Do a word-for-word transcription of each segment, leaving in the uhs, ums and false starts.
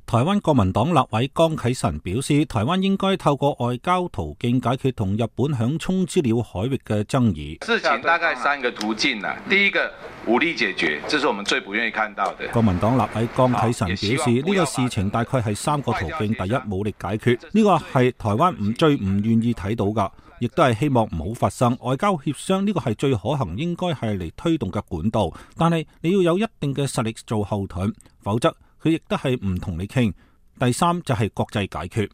台灣國民黨立委江啟臣表示，台灣應該透過外交途徑解決同日本響沖資料海域嘅爭議。事情大概三個途徑啦，第一個武力解決，這是我們最不願意看到的。國民黨立委江啟臣表示，呢個事情大概係三個途徑，第一，武力解決，呢個係台灣唔最唔願意睇到噶，亦都係希望唔好發生。外交協商呢個係最可行，應該係嚟推動嘅管道，但係你要有一定嘅實力做後盾，否則佢亦都係唔同你傾。第三就係國際解決。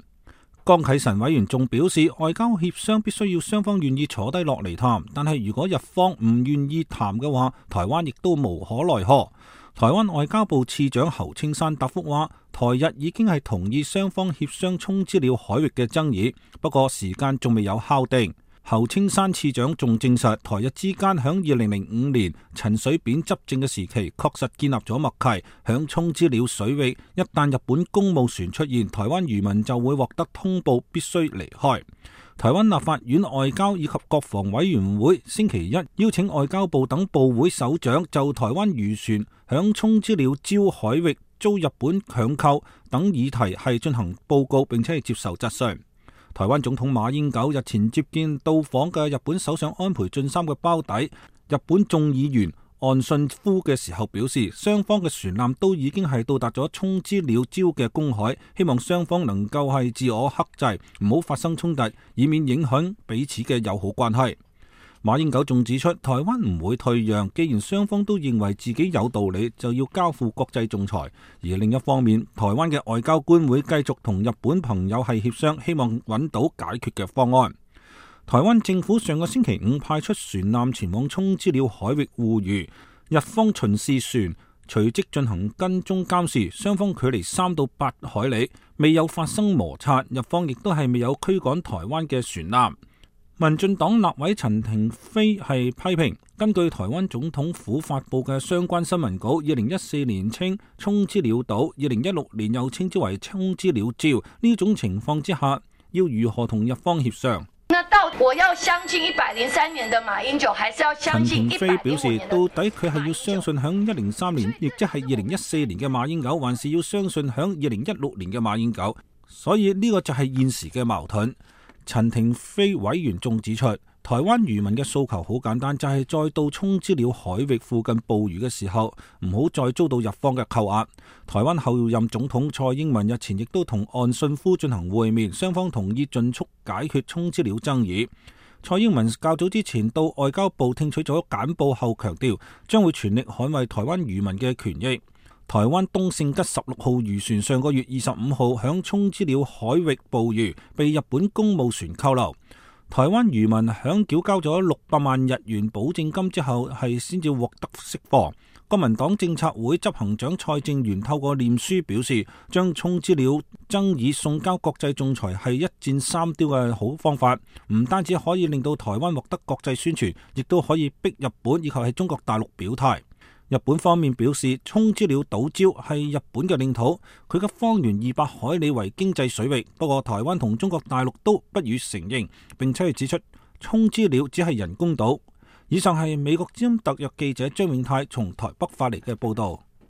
江啟臣委員仲表示，外交協商必須要雙方願意坐低落嚟談，但係如果日方唔願意談嘅話，台灣亦都無可奈何。台灣外交部次長侯青山答覆話，台日已經係同意雙方協商沖資料海域嘅爭議，不過時間仲未有敲定。侯青山次長仲證實，台日之間響二零零五年陳水扁執政嘅時期，確實建立咗默契。響沖資料水域，一旦日本公務船出現，台灣漁民就會獲得通報，必須離開。台灣立法院外交以及國防委員會星期一邀請外交部等部會首長就台灣漁船響沖資料礁海域遭日本強扣等議題係進行報告，並且係接受質詢。台灣總統馬英九日前接見到訪嘅日本首相安倍晉三嘅胞弟日本眾議員岸信夫嘅時候表示，雙方嘅船艦都已經係到達咗沖資料礁嘅公海，希望雙方能夠係自我克制，唔好發生衝突，以免影響彼此嘅友好關係。馬英九仲指出，台灣唔會退讓，既然雙方都認為自己有道理，就要交付國際仲裁。而另一方面，台灣嘅外交官會繼續同日本朋友係協商，希望揾到解決嘅方案。台灣政府上個星期五派出船艦前往沖資料海域護漁，日方巡視船隨即進行跟蹤監視，雙方距離三到八海里，未有發生摩擦，日方亦都係未有驅趕台灣嘅船艦。民進黨立委陳亭妃係批評，根據台灣總統府發布嘅相關新聞稿，二零一四年稱沖資料島，二零一六年又稱之為沖資料礁，呢種情況之下，要如何同日方協商？那到我要相信一百零三年的馬英九，還是要相信一百零五年的？陳亭妃表示，到底佢係要相信響一零三年，亦即係二零一四年嘅馬英九，還是要相信響二零一六年嘅馬英九？所以呢個就係現時嘅矛盾。陳亭妃委員仲指出，台灣漁民嘅訴求好簡單，就係、是、再到沖資料海域附近捕魚嘅時候，唔好再遭到日方嘅扣押。台灣後任總統蔡英文日前亦都同岸信夫進行會面，雙方同意盡速解決沖資料爭議。蔡英文較早之前到外交部聽取咗簡報後強調，將會全力捍衛台灣漁民嘅權益。台灣東勝吉十六號漁船上個月二十五號響沖資料海域捕魚，被日本公務船扣留。台灣漁民響繳交咗六百萬日元保證金之後，係先至獲得釋放。國民黨政策會執行長蔡正元透過臉書表示，將沖資料爭議送交國際仲裁係一箭三雕嘅好方法，唔單止可以令到台灣獲得國際宣傳，亦都可以逼日本以及係中國大陸表態。日本方面表示，沖資料島礁係日本嘅領土，佢嘅方圓二百海里為經濟水域。不過台灣同中國大陸都不予承認，並且係指出沖資料只係人工島。以上係美國之音特約記者張永泰從台北發嚟嘅報道。